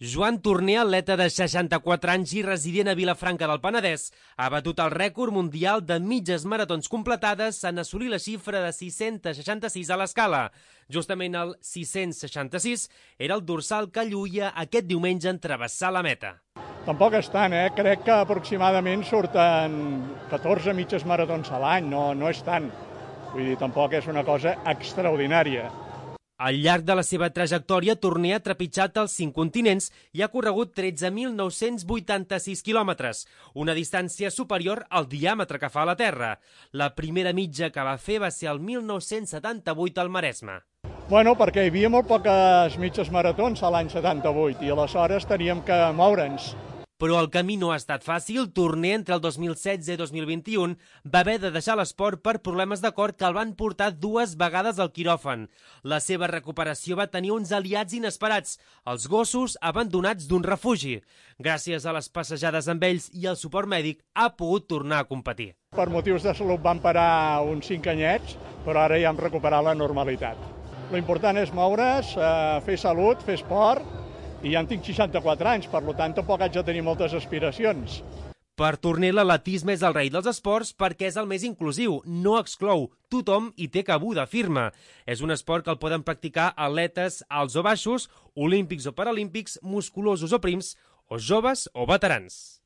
Joan Torner, atleta de 64 anys i resident a Vilafranca del Penedès, ha batut el rècord mundial de mitges maratons completades en assolir la xifra de 666 a l'escala. Justament el 666 era el dorsal que lluïa aquest diumenge en travessar la meta. Tampoc és tant, crec que aproximadament surten 14 mitges maratons a l'any, no és tant. Vull dir, tampoc és una cosa extraordinària. Al llarg de la seva trajectòria, Torner ha trepitjat els 5 continents i ha corregut 13.986 quilòmetres, una distància superior al diàmetre que fa la Terra. La primera mitja que va fer va ser el 1978 al Maresme. Bueno, perquè hi havia molt poques mitges maratons a l'any 78 i aleshores teníem que moure'ns. Però el camí no ha estat fàcil. Torner, entre el 2016 i 2021, va haver de deixar l'esport per problemes de cor que el van portar 2 vegades al quiròfan. La seva recuperació va tenir uns aliats inesperats, els gossos abandonats d'un refugi. Gràcies a les passejades amb ells i al suport mèdic, ha pogut tornar a competir. Per motius de salut van parar uns 5 anyets, però ara ja hem recuperat la normalitat. L'important és moure's, fer salut, fer esport, i ja en tinc 64 anys, per tant tampoc haig de tenir moltes aspiracions. Per Torner, l'atletisme és el rei dels esports perquè és el més inclusiu, no exclou, tothom hi té cabuda, afirma. És un esport que el poden practicar atletes alts o baixos, olímpics o paralímpics, musculosos o prims, o joves o veterans.